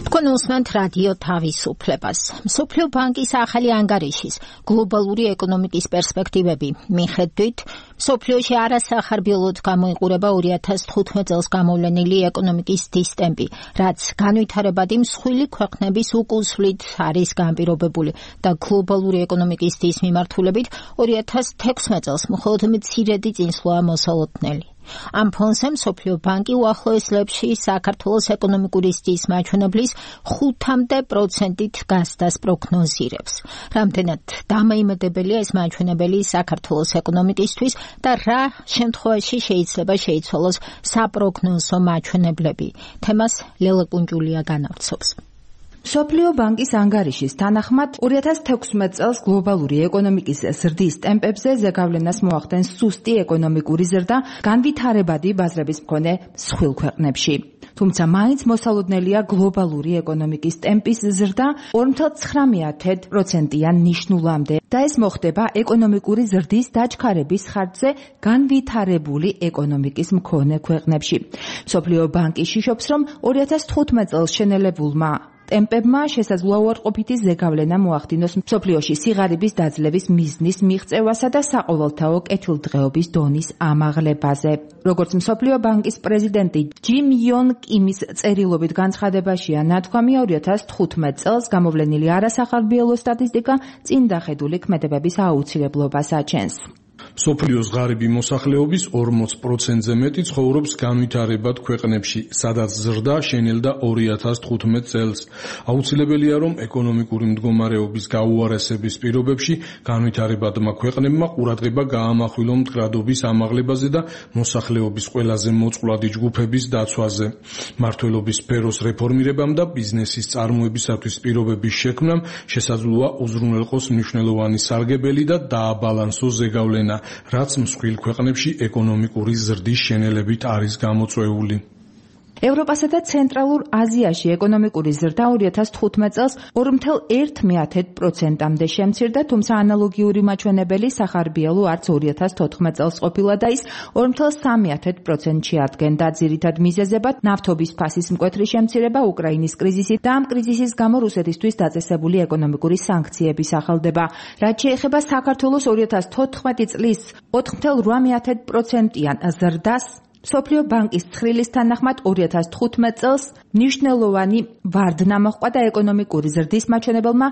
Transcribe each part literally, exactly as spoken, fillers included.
თქვენ უსმენთ რადიო თავისუფლებას. მსოფლიო ბანკის ახალი ანგარიშის გლობალური ეკონომიკის პერსპექტივები მიხედვით, მსოფლიოში არასახარბიელოდ გამოიყურება ორი ათას თხუთმეტ წელს გამოვლენილი ეკონომიკის დის ტემპი, რაც განვითარებადი მსხვილი ქვეყნების უკუსვლით არის განპირობებული და გლობალური ეკონომიკის დის მიმართულებით ორი ათას თექვსმეტ წელს მხოლოდ მცირედი წინსვლაა მოსალოდნელი. ამ ფონზე მსოფლიო ბანკი უახლოეს წლებში საქართველოს ეკონომიკური ზრდის მაჩვენებლის ხუთამდე პროცენტით გასდას პროგნოზირებს. რამდენად დამაიმედებელია ეს მაჩვენებელი საქართველოს ეკონომიკისთვის და რა შემთხვევაში შეიძლება შეიცვალოს საპროგნოზო მაჩვენებლები. თემას ლელა კუნჯულია განავრცობს. მსოფლიო ბანკის ანგარიშის თანახმად ორი ათას თექვსმეტ წელს გლობალური ეკონომიკის ზრდის ტემპებზე ზეგავლენას მოახდენს სუსტი ეკონომიკური ზრდა განვითარებადი ბაზრების მქონე მსხვილ ქვეყნებში. თუმცა მაინც მოსალოდნელია გლობალური ეკონომიკის ტემპის ზრდა ორი ათას ცხრამეტ პროცენტიან ნიშნულამდე და ეს მოხდება ეკონომიკური ზრდის დაჩქარების ხარჯზე განვითარებული ეკონომიკის მქონე ქვეყნებში. მსოფლიო ბანკი შიშობს, რომ ორი ათას თხუთმეტ წელს შენელებულმა ტემპებმა შესაძლოა უარყოფითი ზეგავლენა მოახდინოს მსოფლიოში სიღარიბის დაძლევის მიზნის მიღწევასა და საყოველთაო კეთილდღეობის დონის ამაღლებაზე. როგორც მსოფლიო ბანკის პრეზიდენტი ჯიმ იონ კიმის წერილობით განცხადებაშია ნათქვამი, ორი ათას თხუთმეტ წელს გამოვლენილი არასახარბიელო სტატისტიკა წინ დახედული ქმედებების აუცილებლობას აჩენს. მსოფლიოს ღარიბი მოსახლეობის ორმოც პროცენტზე მეტი ცხოვრობს განვითარებად ქვეყნებში, სადაც ზრდა შენელდა ორი ათას თხუთმეტ წელს. აუცილებელია, რომ ეკონომიკური მდგომარეობის გაუარესების პირობებში განვითარებადმა ქვეყნებმა ყურადღება გაამახვილონ მდგრადობის ამაღლებაზე და მოსახლეობის ყველაზე მოწყვლადი ჯგუფების დაცვაზე. მმართველობის სფეროს რეფორმირებამ და ბიზნესის წარმოებისათვის პირობების შექმნამ შესაძლოა უზრუნველყოს მნიშვნელოვანი სარგებელი და დააბალანსოს ზეგავლენა, რაც მსხვილ ქვეყნებში ეკონომიკური ზრდის შენელებით არის გამოწვეული. ევროპასა და ცენტრალურ აზიაში ეკონომიკური ზრდა ორი ათას თხუთმეტ წელს ორი ათას ერთ პროცენტამდე შემცირდა, თუმცა ანალოგიური მაჩვენებელი სახარბიელო არც ორი ათას თოთხმეტ წელს ყოფილა და ის ორი ათას სამი პროცენტში ადგენდა. ძირითად მიზეზებად ნავთობის ფასის მკვეთრი შემცირება, უკრაინის კრიზისი და ამ კრიზისის გამო რუსეთისთვის დაწესებული ეკონომიკური სანქციების ახალდება. რაც შეეხება საქართველოს ორი ათას თოთხმეტი წლის ოთხ ათას რვამეტ პროცენტიან ზრდას, მსოფლიო ბანკის ცხრილის თანახმად ორი ათას თხუთმეტ წელს მნიშვნელოვანი ვარდნა მოჰყვა და ეკონომიკური ზრდის მაჩვენებელმა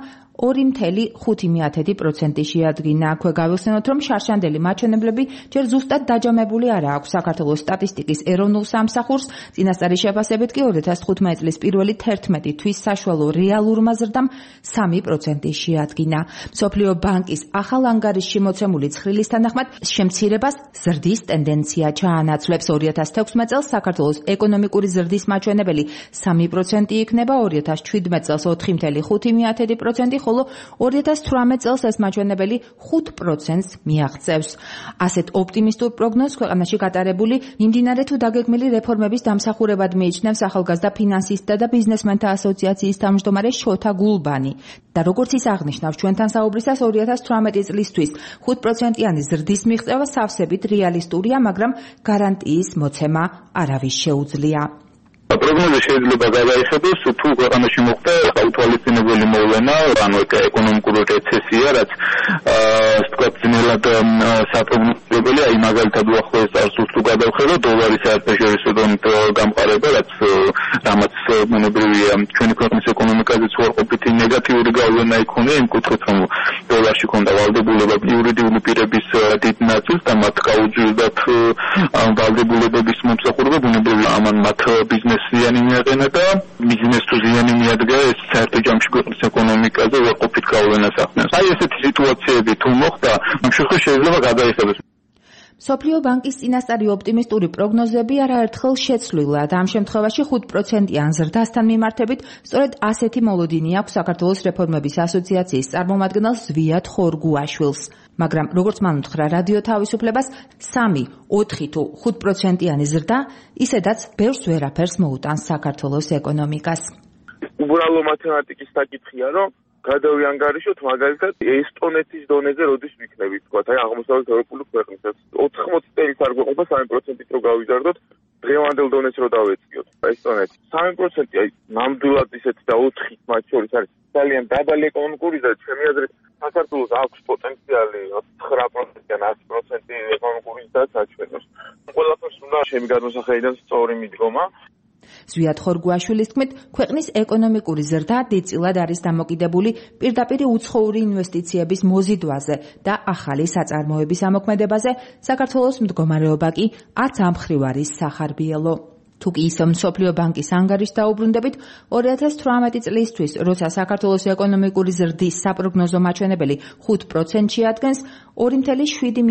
ორი ათას ხუთი პროცენტი შეადგინა. აქვე გავიხსენოთ, რომ შარშანდელი მაჩვენებლები ჯერ ზუსტად დაჯამებული არა აქვს საქართველოს სტატისტიკის ეროვნულ სამსახურს, წინასწარი შეფასებით კი ორი ათას თხუთმეტ წლის პირველი თერთმეტი თვის საშუალო რეალურმა ზრდამ სამი პროცენტი შეადგინა. მსოფლიო ბანკის ახალ ანგარიშში მოცემული ცხრილის თანახმად შემცირებას ზრდის ტენდენცია ჩაანაცვლებს. ორი ათას თექვსმეტ წელს საქართველოს ეკონომიკური ზრდის მაჩვენებელი სამი პროცენტი იქნება, ორი ათას შვიდმეტ წელს ოთხი ათას ხუთი პროცენტი, ხოლო ორი ათას თვრამეტ წელს ეს მაჩვენებელი ხუთ პროცენტს მიაღწევს. ასეთ ოპტიმისტურ პროგნოზს ქვეყანაში გატარებული მიმდინარე თუ დაგეგმილი რეფორმების დამსახურებად მიიჩნევს ახალგაზრდა ფინანსისტთა და ბიზნესმენთა ასოციაციის თავმჯდომარე შოთა გულბანი. და როგორც ის აღნიშნავს ჩვენთან საუბრისას, ორი ათას თვრამეტი წლისთვის ხუთ პროცენტიანი ზრდის მიღწევა სავსებით რეალისტურია, მაგრამ გარანტიის მოცემა არავის შეუძლია. პროგნოზი შეიძლება გადაიხადოს თუ ქვეყანაში მოხდა უთვალისწინებელი მოვლენა, ანუ ეკონომიკური რეცესია, რაც ასე ვთქვათ, ძნელად საპროგნოზებელია, აი მაგალითად უახლოეს წარსულს თუ გადავხედოთ, დოლარის საერთაშორისო დონით გამყარება, რაც რამაც მონებრივია ჩვენი ქვეყნის ეკონომიკაზეც უარყოფითი ნეგატიური გავლენა იქონია, იმ კუთხით, რომ დოლარში ქონდა ვალდებულება იურიდიული პირების დიდ ნაწილს და მათ გაუძვირდათ ვალდებულებების მომსახურება, ბუნებრივია ამან მათ ბიზნეს ზიანი მიაყენა და ბიზნეს თუ ზიანი მიადგა, ეს საერთო ჯამში ქვეყნის ეკონომიკაზე უარყოფით გავლენას ახდენს. აი ესეთი სიტუაციები თუ მოხდა, ამ შემთხვევაში შეიძლება გადაიხადოს. მსოფლიო ბანკის წინასწარი ოპტიმისტური პროგნოზები არაერთხელ შეცვლილა და ამ შემთხვევაში ხუთ პროცენტიან ზრდასთან მიმართებით სწორედ ასეთი მოლოდინი აქვს საქართველოს რეფორმების ასოციაციის წარმომადგენელს ზვიად ხორგუაშვილს. მაგრამ როგორც მან უთხრა რადიო თავისუფლებას, სამი, ოთხი თუ ხუთ პროცენტიანი ზრდა ისედაც ბევრს ვერაფერს მოუტანს საქართველოს ეკონომიკას. უბრალო მათემატიკის საკითხია, რომ გადავიანგარიშოთ მაგალითად ესტონეთის დონეზე როდის ვიქნებით, თქვა, აი აღმოსავლეთ ევროპული ქვეყნებსაც ოთხმოცი წელს არ გვეყოფა სამი პროცენტით რო გავიზარდოთ, დღევანდელ დონეს რო დავეწიოთ, ესტონეთი სამი პროცენტი, აი ნამდვილად ისეთი და ოთხი მათ შორის არის ძალიან დაბალი ეკონომიკური და ჩემი აზრით საქართველოს აქვს პოტენციალი ცხრა პროცენტიდან ათი პროცენტი ეკონომიკური და საჩვენოს. ყველაფერს უნდა ჩემი გადმოსახედიდან სწორი მიდგომა. ზვიად ხორგუაშვილის თქმით, ქვეყნის ეკონომიკური ზრდა დიდწილად არის დამოკიდებული პირდაპირ უცხოური ინვესტიციების მოზიდვაზე და ახალი საწარმოების ამოქმედებაზე, საქართველოს მდგომარეობა კი არც ამ მხრივ არის სახარბიელო. თუ კი ისე მსოფლიო ბანკის ანგარიშს დაუბრუნდებით, ორი ათას თვრამეტი წლისთვის, როცა საქართველოს ეკონომიკური ზრდის საპროგნოზო მაჩვენებელი ხუთ პროცენტს შეადგენს, ორი ათეული შვიდი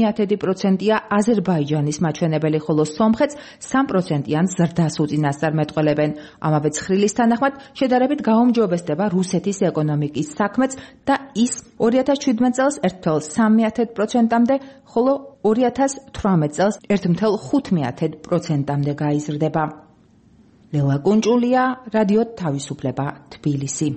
პროცენტია აზერბაიჯანის მაჩვენებელი, ხოლო სომხეთს სამ პროცენტიან ზრდას უწინასწარ მეტყველებენ. ამავე ცხრილის თანახმად, შედარებით გაუმჯობესდება რუსეთის ეკონომიკის საქმეც და ის ორი ათას ჩვიდმეტ წელს ერთ ათას სამი პროცენტამდე, ხოლო ორი ათას თვრამეტ წელს ერთ ათას ხუთი პროცენტამდე გაიზრდება. ლელა კუნჭულია, რადიო თავისუფლება, თბილისი.